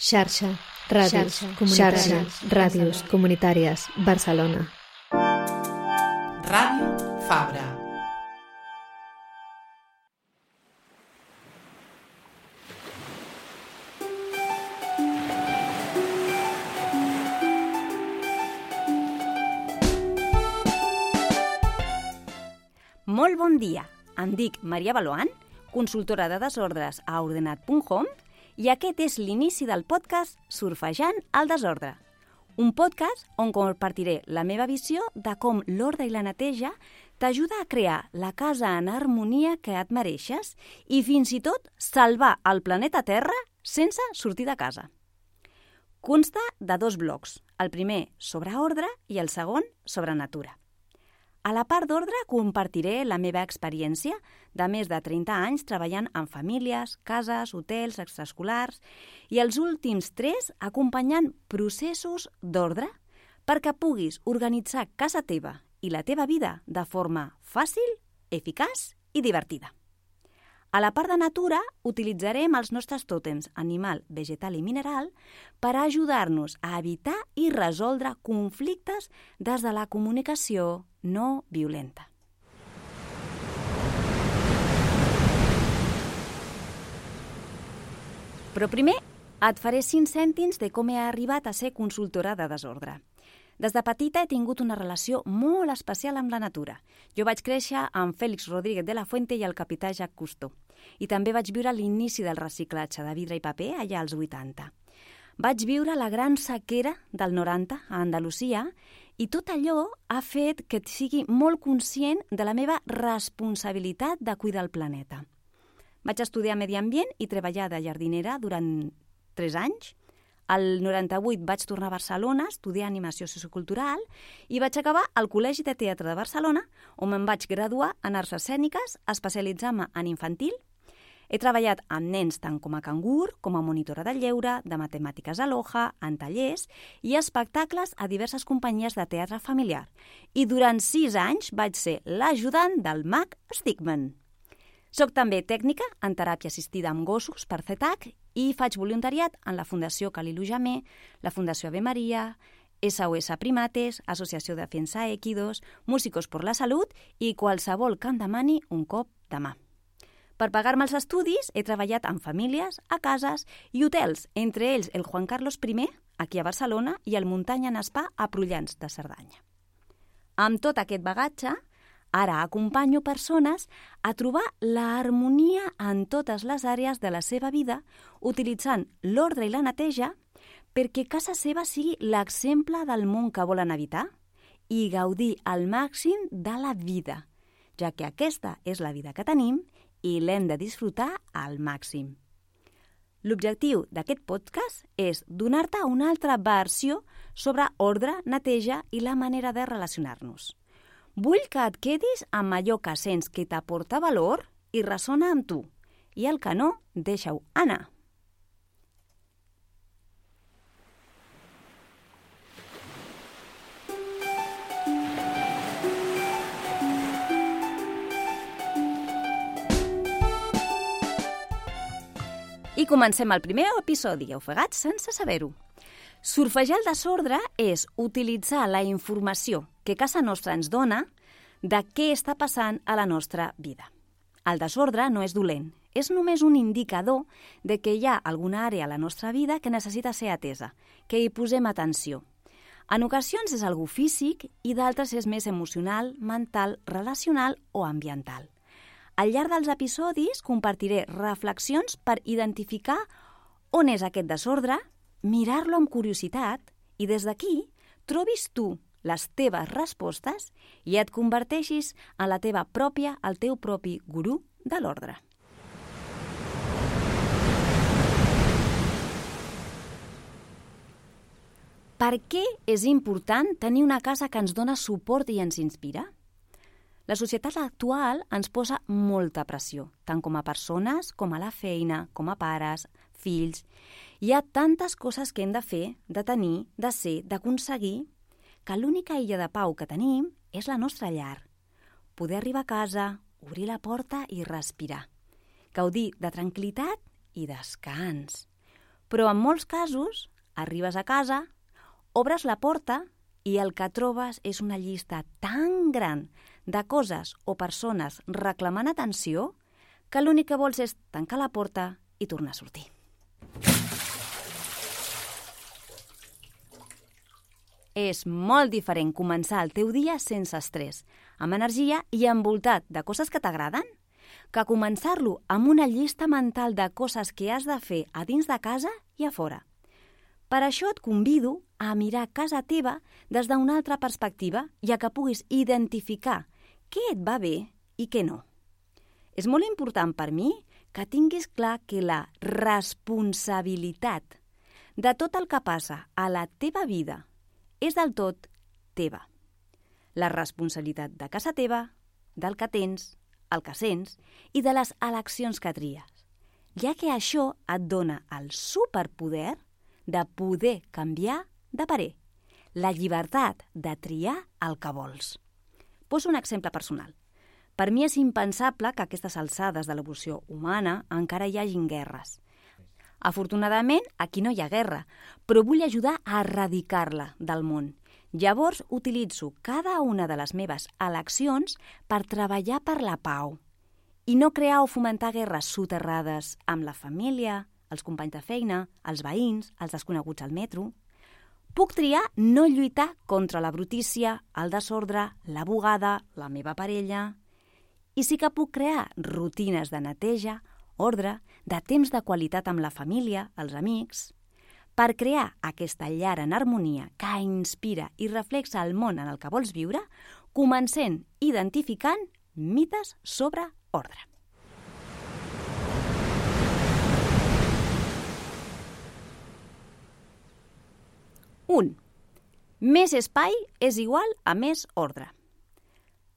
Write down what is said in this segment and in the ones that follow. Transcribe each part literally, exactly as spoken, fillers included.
Xarxa, ràdios, comunitàries, ràdios comunitàries, Barcelona. Ràdio Fabra. Molt bon dia. Em dic Maria Baloan, consultora de desordres a ordenat punt com, i aquest és l'inici del podcast Surfejant el desordre, un podcast on compartiré la meva visió de com l'ordre i la neteja t'ajuda a crear la casa en harmonia que et mereixes i fins i tot salvar el planeta Terra sense sortir de casa. Consta de dos blocs, el primer sobre ordre i el segon sobre natura. A la part d'ordre compartiré la meva experiència de més de trenta anys treballant en famílies, cases, hotels, extraescolars i els últims tres acompanyant processos d'ordre perquè puguis organitzar casa teva i la teva vida de forma fàcil, eficaç i divertida. A la part de natura utilitzarem els nostres tòtems animal, vegetal i mineral per ajudar-nos a evitar i resoldre conflictes des de la comunicació no violenta. Però primer et faré cinc cèntims de com he arribat a ser consultora de desordre. Des de petita he tingut una relació molt especial amb la natura. Jo vaig créixer amb Félix Rodríguez de la Fuente i el capità Jacques Cousteau. I també vaig viure l'inici del reciclatge de vidre i paper allà als vuitanta. Vaig viure la gran sequera del noranta a Andalusia i tot allò ha fet que sigui molt conscient de la meva responsabilitat de cuidar el planeta. Vaig estudiar medi ambient i treballar de jardinera durant tres anys. Al noranta-vuit vaig tornar a Barcelona a estudiar animació sociocultural i vaig acabar al Col·legi de Teatre de Barcelona, on em vaig graduar en arts escèniques, especialitzant-me en infantil. He treballat amb nens tant com a cangur, com a monitora de lleure, de matemàtiques a l'Oja, en tallers i espectacles a diverses companyies de teatre familiar. I durant sis anys vaig ser l'ajudant del mag Stigman. Soc també tècnica en teràpia assistida amb gossos per C E T A C i faig voluntariat en la Fundació Calilu Jamer, la Fundació Ave Maria, S O S Primates, Associació de Defensa Equidos, Músicos por la Salut i qualsevol que em demani un cop de mà. Per pagar-me els estudis he treballat en famílies, a cases i hotels, entre ells el Juan Carlos primer, aquí a Barcelona, i el Muntanya en Spa a Prullans de Cerdanya. Amb tot aquest bagatge, ara acompanyo persones a trobar l'harmonia en totes les àrees de la seva vida utilitzant l'ordre i la neteja perquè casa seva sigui l'exemple del món que volen evitar i gaudir al màxim de la vida, ja que aquesta és la vida que tenim i l'hem de disfrutar al màxim. L'objectiu d'aquest podcast és donar-te una altra versió sobre ordre, neteja i la manera de relacionar-nos. Vull que et quedis amb allò que sents que t'aporta valor i ressona amb tu, i el que no, deixa-ho anar. I comencem el primer episodi, ofegats sense saber-ho. Surfejar el desordre és utilitzar la informació que casa nostra ens dona de què està passant a la nostra vida. El desordre no és dolent, és només un indicador de que hi ha alguna àrea a la nostra vida que necessita ser atesa, que hi posem atenció. En ocasions és algú físic i d'altres és més emocional, mental, relacional o ambiental. Al llarg dels episodis compartiré reflexions per identificar on és aquest desordre, mirar-lo amb curiositat i des d'aquí trobis tu les teves respostes i et converteixis en la teva pròpia, el teu propi gurú de l'ordre. Per què és important tenir una casa que ens dona suport i ens inspira? La societat actual ens posa molta pressió, tant com a persones, com a la feina, com a pares, fills. Hi ha tantes coses que hem de fer, de tenir, de ser, d'aconseguir, que l'única illa de pau que tenim és la nostra llar. Poder arribar a casa, obrir la porta i respirar. Gaudir de tranquil·litat i descans. Però en molts casos arribes a casa, obres la porta i el que trobes és una llista tan gran de coses o persones reclamant atenció que l'únic que vols és tancar la porta i tornar a sortir. És molt diferent començar el teu dia sense estrès, amb energia i envoltat de coses que t'agraden, que començar-lo amb una llista mental de coses que has de fer a dins de casa i a fora. Per això et convido a mirar casa teva des d'una altra perspectiva i a que puguis identificar què et va bé i què no. És molt important per mi que tinguis clar que la responsabilitat de tot el que passa a la teva vida és del tot teva. La responsabilitat de casa teva, del que tens, el que sents i de les eleccions que tries, ja que això et dona el superpoder de poder canviar de parer, la llibertat de triar el que vols. Poso un exemple personal. Per mi és impensable que a aquestes alçades de l'evolució humana encara hi hagin guerres. Afortunadament, aquí no hi ha guerra, però vull ajudar a erradicar-la del món. Llavors, utilitzo cada una de les meves eleccions per treballar per la pau i no crear o fomentar guerres soterrades amb la família, els companys de feina, els veïns, els desconeguts al metro. Puc triar no lluitar contra la brutícia, el desordre, la bugada, la meva parella. I sí que puc crear rutines de neteja, ordre, de temps de qualitat amb la família, els amics, per crear aquesta llar en harmonia que inspira i reflexa el món en el que vols viure, comencem identificant mites sobre ordre. un. Més espai és igual a més ordre.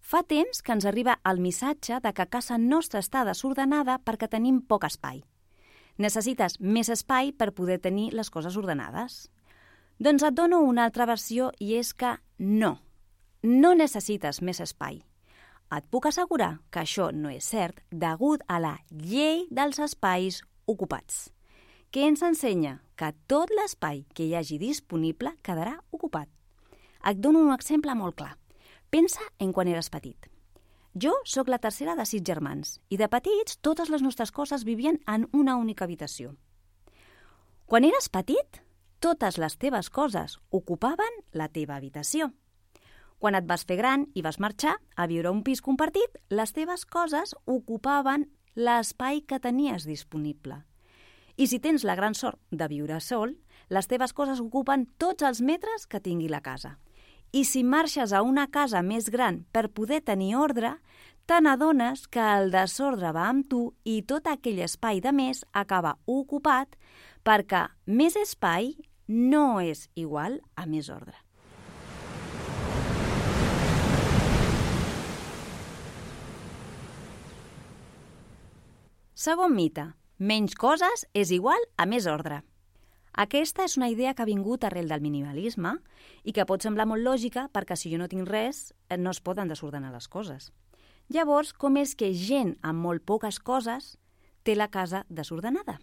Fa temps que ens arriba el missatge de que casa nostra està desordenada perquè tenim poc espai. Necessites més espai per poder tenir les coses ordenades. Doncs et dono una altra versió i és que no, no necessites més espai. Et puc assegurar que això no és cert degut a la llei dels espais ocupats, que ens ensenya que tot l'espai que hi hagi disponible quedarà ocupat. Et dono un exemple molt clar. Pensa en quan eres petit. Jo sóc la tercera de sis germans i de petits totes les nostres coses vivien en una única habitació. Quan eres petit, totes les teves coses ocupaven la teva habitació. Quan et vas fer gran i vas marxar a viure a un pis compartit, les teves coses ocupaven l'espai que tenies disponible. I si tens la gran sort de viure sol, les teves coses ocupen tots els metres que tingui la casa. I si marxes a una casa més gran per poder tenir ordre, te n'adones que el desordre va amb tu i tot aquell espai de més acaba ocupat perquè més espai no és igual a més ordre. Segon mite. Menys coses és igual a més ordre. Aquesta és una idea que ha vingut arrel del minimalisme i que pot semblar molt lògica perquè si jo no tinc res, no es poden desordenar les coses. Llavors, com és que gent amb molt poques coses té la casa desordenada?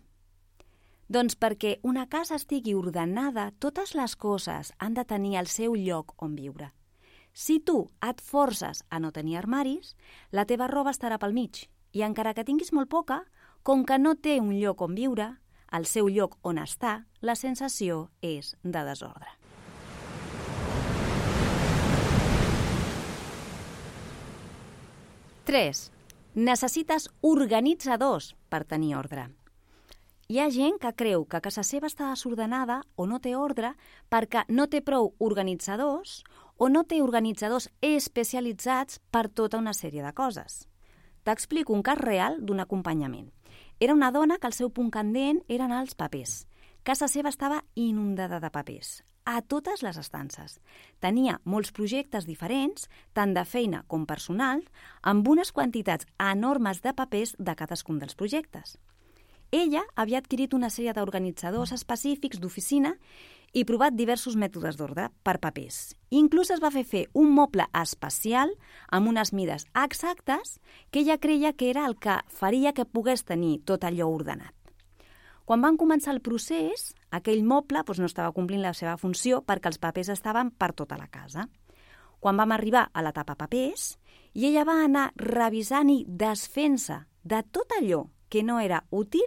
Doncs perquè una casa estigui ordenada, totes les coses han de tenir el seu lloc on viure. Si tu et forces a no tenir armaris, la teva roba estarà pel mig i encara que tinguis molt poca, com que no té un lloc on viure, el seu lloc on està, la sensació és de desordre. tres. Necessites organitzadors per tenir ordre. Hi ha gent que creu que casa seva està desordenada o no té ordre perquè no té prou organitzadors o no té organitzadors especialitzats per tota una sèrie de coses. T'explico un cas real d'un acompanyament. Era una dona que el seu punt candent eren els papers. Casa seva estava inundada de papers, a totes les estances. Tenia molts projectes diferents, tant de feina com personal, amb unes quantitats enormes de papers de cadascun dels projectes. Ella havia adquirit una sèrie d'organitzadors específics d'oficina i provat diversos mètodes d'ordre per papers. Inclús es va fer fer un moble especial amb unes mides exactes que ella creia que era el que faria que pogués tenir tot allò ordenat. Quan van començar el procés, aquell moble doncs, no estava complint la seva funció perquè els papers estaven per tota la casa. Quan vam arribar a l'etapa papers, i ella va anar revisant i desfent-se de tot allò que no era útil,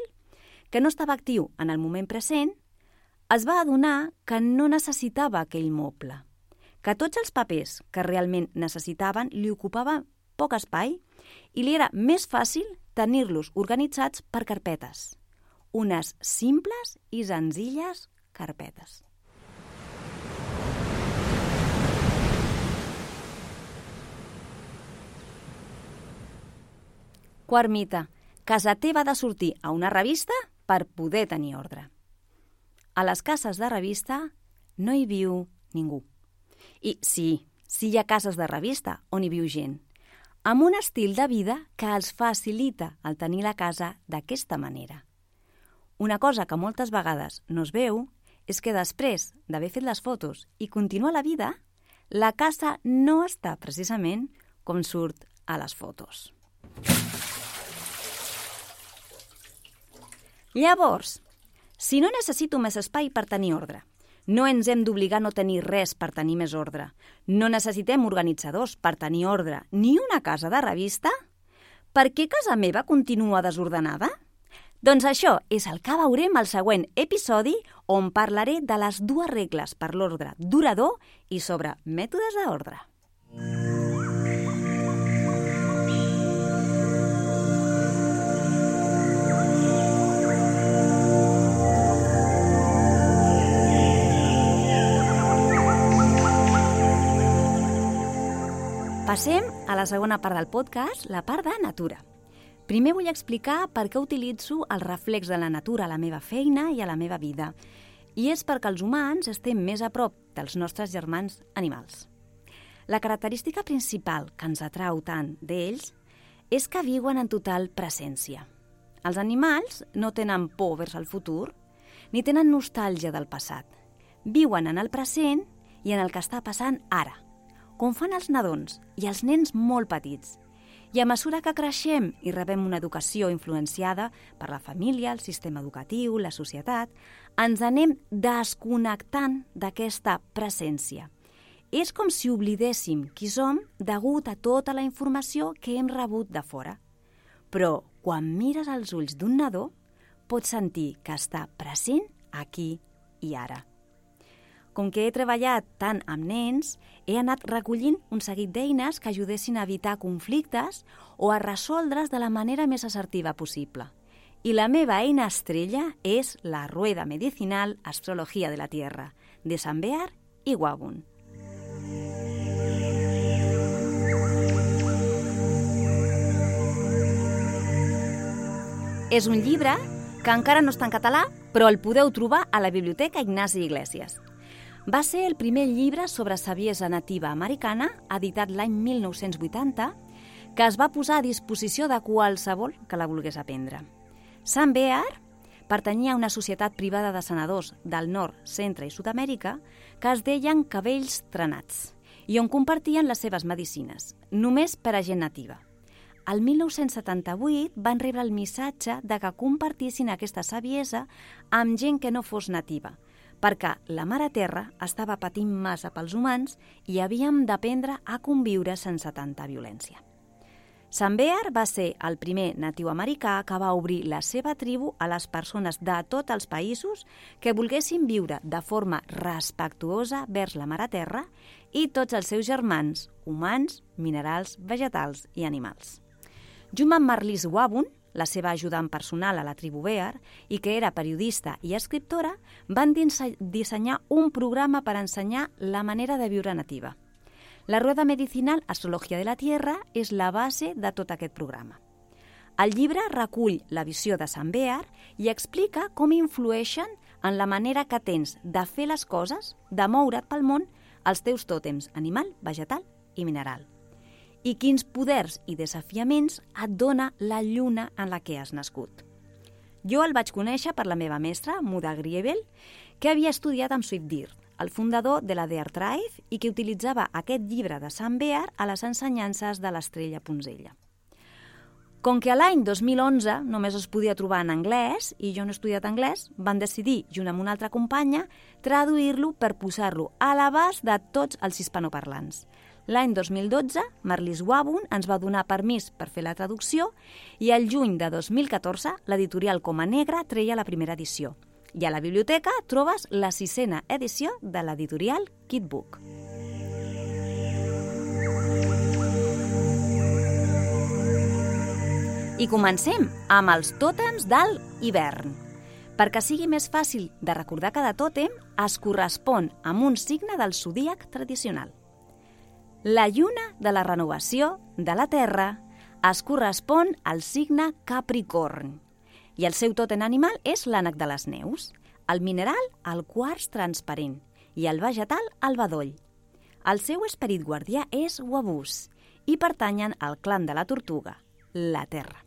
que no estava actiu en el moment present, es va adonar que no necessitava aquell moble, que tots els papers que realment necessitaven li ocupaven poc espai i li era més fàcil tenir-los organitzats per carpetes, unes simples i senzilles carpetes. Quart mite. Casa teva ha de sortir a una revista per poder tenir ordre. A les cases de revista no hi viu ningú. I sí, sí hi ha cases de revista on hi viu gent, amb un estil de vida que els facilita el tenir la casa d'aquesta manera. Una cosa que moltes vegades no es veu és que després d'haver fet les fotos i continuar la vida, la casa no està precisament com surt a les fotos. Llavors, si no necessito més espai per tenir ordre, no ens hem d'obligar a no tenir res per tenir més ordre, no necessitem organitzadors per tenir ordre ni una casa de revista, per què casa meva continua desordenada? Doncs això és el que veurem al següent episodi, on parlaré de les dues regles per l'ordre durador i sobre mètodes d'ordre. Passem a la segona part del podcast, la part de natura. Primer vull explicar per què utilitzo el reflex de la natura a la meva feina i a la meva vida. I és perquè els humans estem més a prop dels nostres germans animals. La característica principal que ens atrau tant d'ells és que viuen en total presència. Els animals no tenen por vers el futur, ni tenen nostàlgia del passat. Viuen en el present i en el que està passant ara, com fan els nadons i els nens molt petits. I a mesura que creixem i rebem una educació influenciada per la família, el sistema educatiu, la societat, ens anem desconnectant d'aquesta presència. És com si oblidéssim qui som degut a tota la informació que hem rebut de fora. Però quan mires als ulls d'un nadó, pots sentir que està present aquí i ara. Com que he treballat tant amb nens, he anat recollint un seguit d'eines que ajudessin a evitar conflictes o a resoldre's de la manera més assertiva possible. I la meva eina estrella és la Rueda Medicinal Astrología de la Tierra, de Sambear i Wabun. És un llibre que encara no està en català, però el podeu trobar a la Biblioteca Ignasi Iglesias. Va ser el primer llibre sobre saviesa nativa americana, editat l'any mil nou-cents vuitanta, que es va posar a disposició de qualsevol que la volgués aprendre. Sambear pertanyia a una societat privada de senadors del nord, centre i Sud-amèrica que es deien cabells trenats i on compartien les seves medicines, només per a gent nativa. El mil nou-cents setanta-vuit van rebre el missatge de que compartissin aquesta saviesa amb gent que no fos nativa, perquè la Mare Terra estava patint massa pels humans i havíem d'aprendre a conviure sense tanta violència. Sambear va ser el primer natiu americà que va obrir la seva tribu a les persones de tots els països que volguessin viure de forma respectuosa vers la Mare Terra i tots els seus germans, humans, minerals, vegetals i animals. Junt amb Marlies Wabun, la seva ajudant personal a la tribu Bear, i que era periodista i escriptora, van dissenyar un programa per ensenyar la manera de viure nativa. La Rueda Medicinal Astrología de la Tierra és la base de tot aquest programa. El llibre recull la visió de Sambear i explica com influeixen en la manera que tens de fer les coses, de moure't pel món, els teus tòtems animal, vegetal i mineral. I quins poders i desafiaments et dona la lluna en la que has nascut. Jo el vaig conèixer per la meva mestra, Muda Griebel, que havia estudiat amb Swiftdir, el fundador de la Deer Tribe, i que utilitzava aquest llibre de Sambear a les ensenyances de l'estrella Punzella. Com que a l'any dos mil onze només es podia trobar en anglès i jo no he estudiat anglès, van decidir, junt amb una altra companya, traduir-lo per posar-lo a l'abast de tots els hispanoparlants. L'any dos mil dotze, Marlis Wabun ens va donar permís per fer la traducció i al juny de dos mil catorze l'editorial Coma Negra treia la primera edició. I a la biblioteca trobes la sisena edició de l'editorial Kitbook. I comencem amb els tòtems del hivern. Perquè sigui més fàcil de recordar cada tòtem, es correspon amb un signe del zodíac tradicional. La lluna de la renovació de la Terra es correspon al signe Capricorn i el seu tòtem animal és l'ànec de les neus, el mineral el quars transparent i el vegetal el bedoll. El seu esperit guardià és Wabús i pertanyen al clan de la tortuga, la Terra.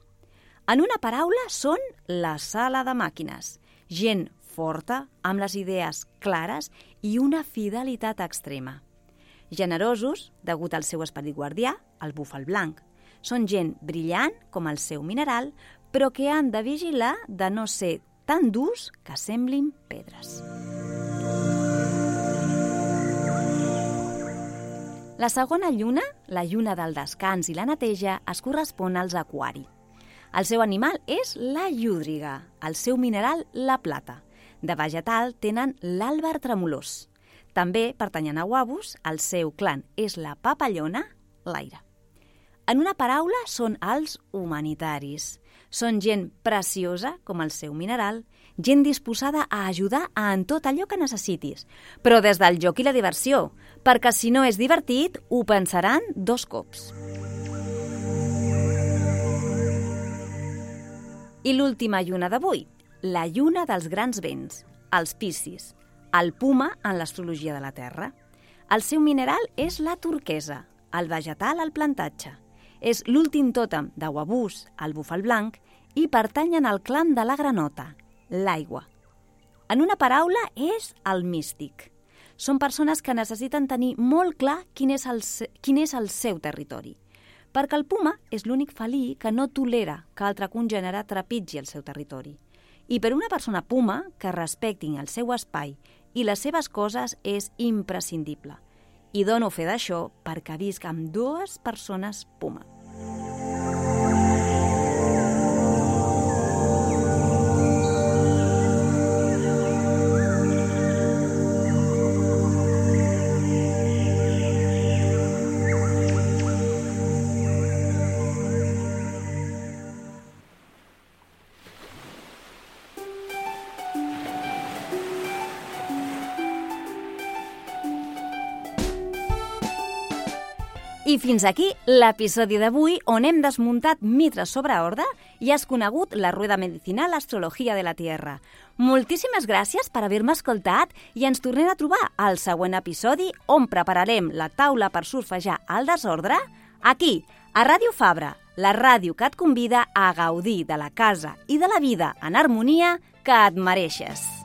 En una paraula, són la sala de màquines, gent forta, amb les idees clares i una fidelitat extrema. Generosos, degut al seu esperit guardià, el búfal blanc. Són gent brillant, com el seu mineral, però que han de vigilar de no ser tan durs que semblin pedres. La segona lluna, la lluna del descans i la neteja, es correspon als aquari. El seu animal és la llúdriga, el seu mineral la plata. De vegetal tenen l'àlber tremolós. També pertanyen a Wabús, el seu clan és la papallona, l'aire. En una paraula, són els humanitaris. Són gent preciosa, com el seu mineral, gent disposada a ajudar en tot allò que necessitis, però des del joc i la diversió, perquè si no és divertit, ho pensaran dos cops. I l'última lluna d'avui, la lluna dels grans vents, els Piscis, el puma en l'astrologia de la Terra. El seu mineral és la turquesa, el vegetal el plantatge. És l'últim tòtem de Wabús, el búfal blanc, i pertanyen al clan de la granota, l'aigua. En una paraula, és el místic. Són persones que necessiten tenir molt clar quin és el, quin és el seu territori. Perquè el puma és l'únic felí que no tolera que altre congènere trepitgi el seu territori. I per una persona puma que respectin el seu espai i les seves coses és imprescindible. I dono fe d'això perquè visc amb dues persones puma. I fins aquí l'episodi d'avui on hem desmuntat mitres sobre ordre i has conegut la rueda medicinal Astrología de la Tierra. Moltíssimes gràcies per haver-me escoltat i ens tornem a trobar al següent episodi on prepararem la taula per surfejar el desordre aquí, a Ràdio Fabra, la ràdio que et convida a gaudir de la casa i de la vida en harmonia que et mereixes.